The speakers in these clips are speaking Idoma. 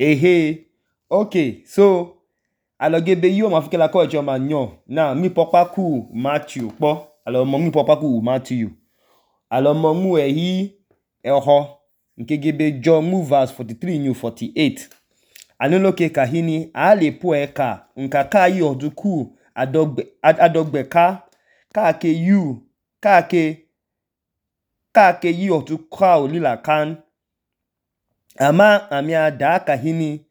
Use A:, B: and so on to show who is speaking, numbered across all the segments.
A: Okay, so alogebe yo ma fikela ko ejo ma nyo na mi popa ku Matthew po alo mo mi popa ku Matthew alo mo mu ehi eho nkegebe John mu verse 43 new 48 anolo ke kahini ale po eka nkaka yi oduku adogbe ka ke you ka ke yi oduka olila kan ama ami ada kahini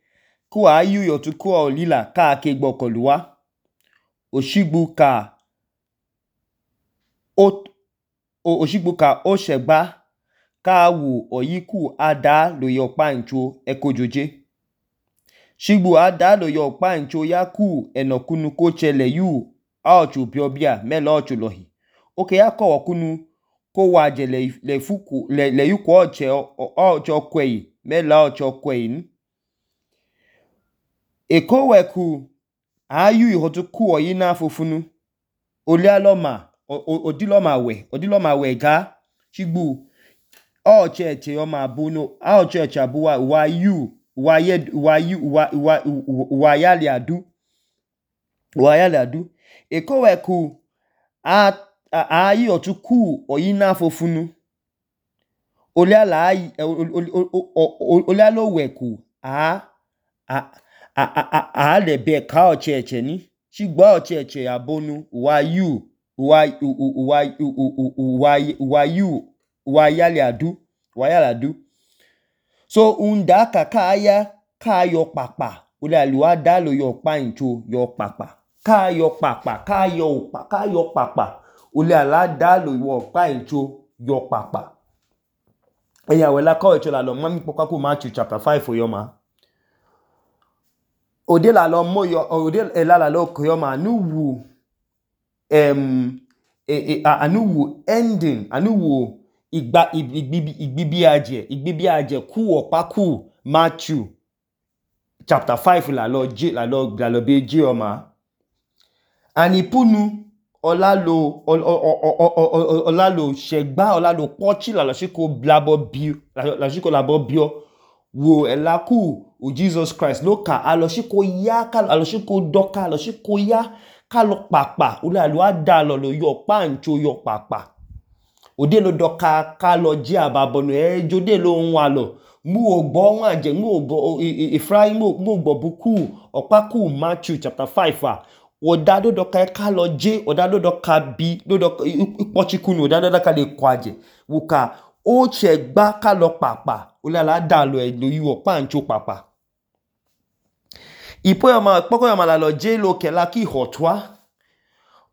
A: ku ayu yotuku olila ka ke gbokoluwa oshigbu ka o shegba ka wu oyiku ada lo yopa ncho ekojoje shigbu ada lo yopa ncho yaku enokunu ko chele yu aochu biobia melo ochu lohi oke yako okunu ko waje le fuku le yuku oche kwei melo oche kwei ekoweku ayu ihotuku oyina fufunu olialoma odiloma we ga shigbu oche yoma bunu oche abuwa wayali adu ekoweku ayu otuku oyina fufunu olialoweku lebe ka oche ni shigbu oche abonu wayali adu so unda ka yo papa olialuwa da lo yo pa ncho yo papa ka yo papa oliala da lo yo pa ncho yo papa eya wela ko echo la lo mami popa ku Matthew chapter 5 oyoma ode la lo koyoma anuwu ending anuwu igbibi aje ku opa ku Matthew chapter 5 la lo beji oma anipunu olalo shegba olalo pochi la shiko labo bio wo elaku o Jesus Christ loka aloshiko ya aloshiko doka aloshiko ya kalo papa olalu adalo lo yo pancho yo papa ode lo doka kalo ji ababonu jode lo nwa lo mu ogbo won aje mu ogbo Ephraim mu ogbo buku opaku Matthew chapter 5 odado doka kalo je odado doka bi dodo ipochikunu odado doka le kwaje wuka o chegba kalo papa olala adalo lo yo pancho papa poko yoma la lo je lo kela ki hotwa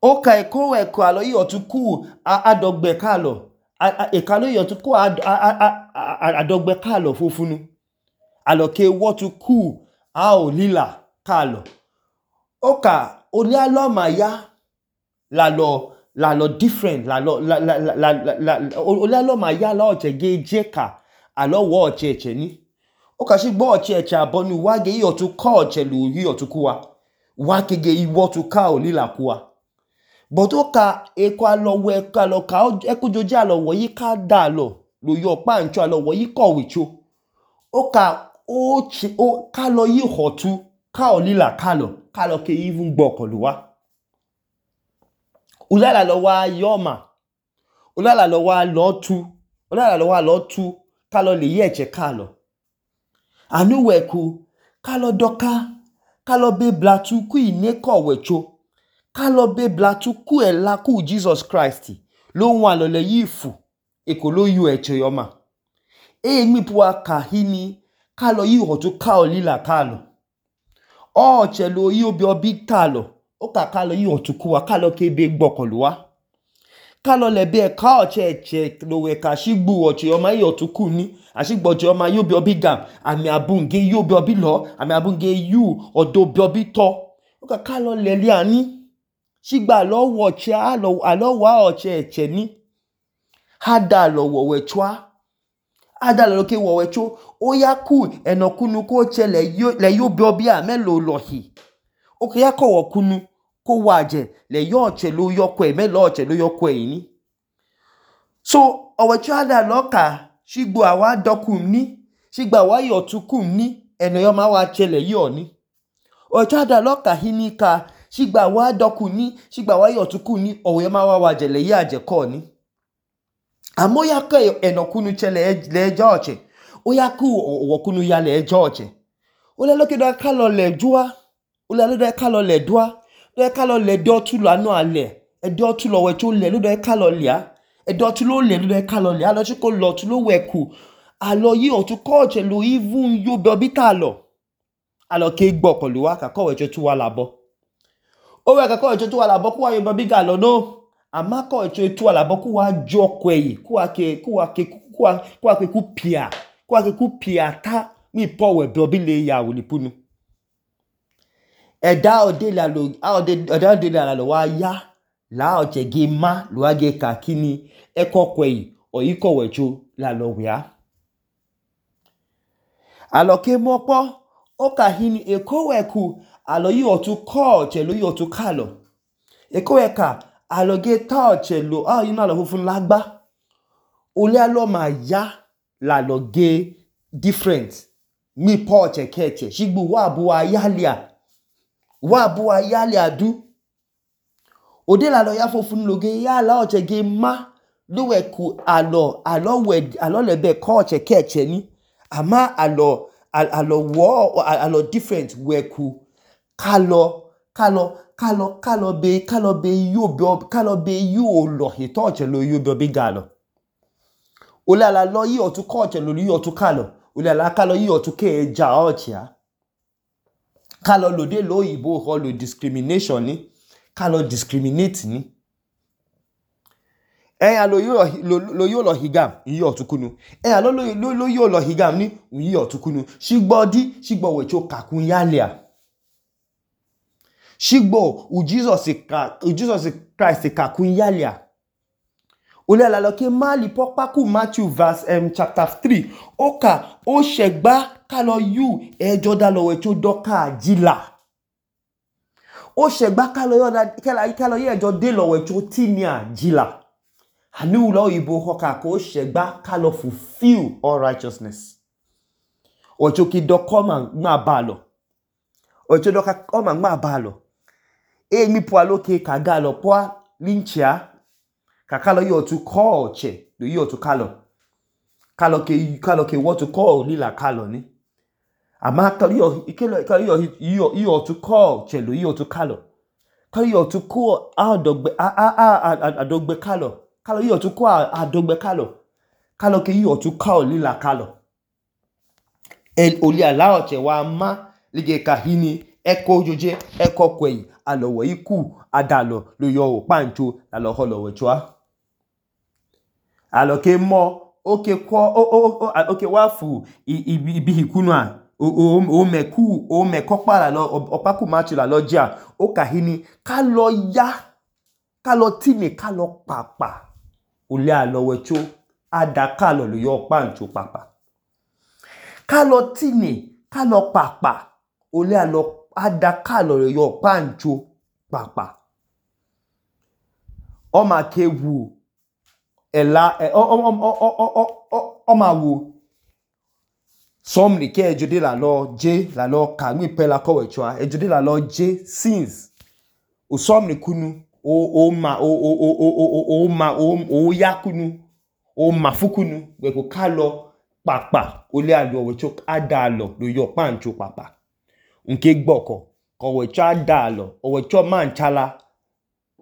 A: oka ekoweku alo yi otuku adogbe kalo ekalo yi otuku adogbe kalo fufunu alo ke wotuku olila kalo oka olialoma ya la lo different olialoma ya la oche gejeka alo wo oche ni oka shigbo oche abonu wage yi otuku oche lu yi otuku wa kege iwotuka olila kuwa but oka eko alo we kalo ka ekojoje alo wo yi ka da lo yo pancho alo wo yi ko wicho oka kalo yi hotu ka olila kalo ke even gbokoluwa ulala lo wa yoma ulala lo wa lotu kalo le yeche kalo anuweku kalo doka kalo be blatu ku ineko wecho kalo be blatu ku ela ku Jesus Christ lo nwa lo le yifu eko lo yu eche yoma mi puwa kahini kalo yi hotu ka olila kalo oche lo yi obi kalo oka kalo yi hotu kuwa kalo kebe gbokoluwa kalo lebe ka oche lo we ka shigbu oche yoma yi hotu ku ni ashigbo oche yoma yi obi gam ami abunge yi obi lo ami abunge yu odo obi to oka kalo leli ani shigba lo wo oche alo wa oche eche ni hada lo wo wechwa ada lo ke wo wecho oyaku enokunu ko chele le yo obi a melo lohi oke yako wokunu ko waje le yo oche lo yokwe melo oche lo yokwe ni so owecho ada loka shigbo awa dokum ni shigba wa yotukum ni eno yoma wa chele yo ni ochada loka hini ka shigba wa dokuni shigba wa yotukuni o yoma wa jele ya jeko ni amoya ka enokunu chele le joche oya ku wokunu ya le joche ole loke do ka lo le jua ole lo do ka lo le dua do ka lo le do tu la no ale e do tu lo we cho le lo do ka lo lia e do tu lo le lo do ka lo lia lo chiko lo tu lo we ku alo yi o tu coach lo even yo be obita lo alo ke gbo ko lo wa ka ko we cho tu wa labo o we ka ko we cho tu wa labo ku wa yo be biga lo no ama ko we cho tu wa labo ku wa jo kweyi ku wa ke ku pia ta mi po we be obi le ya wo lipunu eda ode la lo wa ya la o chege ma lo wa ge ka kini e ko kweyi o yi ko we cho la lo wia alo ke mo po o ka hini e ko we ku alo yi o tu ko che lo yi o tu kalo e ko we ka alo ge ta che lo yi na lo fufun lagba ole alo ma ya la lo ge different mi po che keche shigbu wa bu wa yalia du ode la lo ya fufun lo ge ya la o che ge ma lo we ku alo le be ko che keche ni ama alo different we ku kalo be yo lo he to che lo yo be bigalo ole ala lo yi o tu ko che lo yi o tu kalo ole ala kalo yi o tu ke ja o chia kalo lo de lo yibo ho lo discrimination ni kalo discriminate ni lo yo lo higam yi o tu kunu lo yo lo higam ni yi o tu kunu shigbo we cho kakun yalia shigbo Jesus Christ kakun yalia ole ala lo ke mali popaku Matthew verse chapter 3 oka o shegba kalo yu joda lo we cho doka jila o shegba kalo ye jode lo we cho tinia jila anu lo ibo hoka ko shegba kalo fulfill all righteousness o cho ki dokoma ma balo o cho doka koma ma balo mi po aloke kaga lo po linchia kakalo yo tu call che do yo tu kalo ke what to call lila kalo ni ama kalo yo tu call che lo yo tu kalo yo tu call adogbe kalo yo tu call adogbe kalo ke yo tu call lila kalo oli ala oche wa ma lige kahini eko joje eko kweyi alowo iku adalo lo yo pancho alo holo wechwa alo ke mo oke wafu ibi hikunu a o meku para lo opaku machu la loja o kahini kalo tini kalo papa ole alo wecho ada kalo lo yo pancho papa kalo tini kalo papa ole alo ada kalo lo yo pancho papa o ma ke wu ma wo somni ke ejode la lo ka mi pe la ko wechwa ejode la lo je since o somni kunu o ya kunu o ma fukunu we ko kalo papa ole alo wecho adalo lo yo pancho papa nke gboko ko wecho adalo o wecho manchala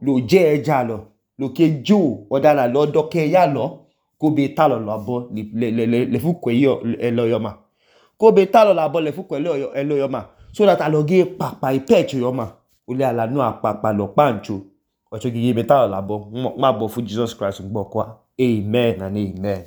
A: lo je ejalo lo ke jo odala lo doke ya lo ko be talo labo le fukwe yo eloyoma ko be talo labo le fukwe eloyoma so that aloge papa ipecho yoma ole ala no apapa lo pancho ocho gi be talo labo ma bo fu Jesus Christ ngbo kwa amen and amen.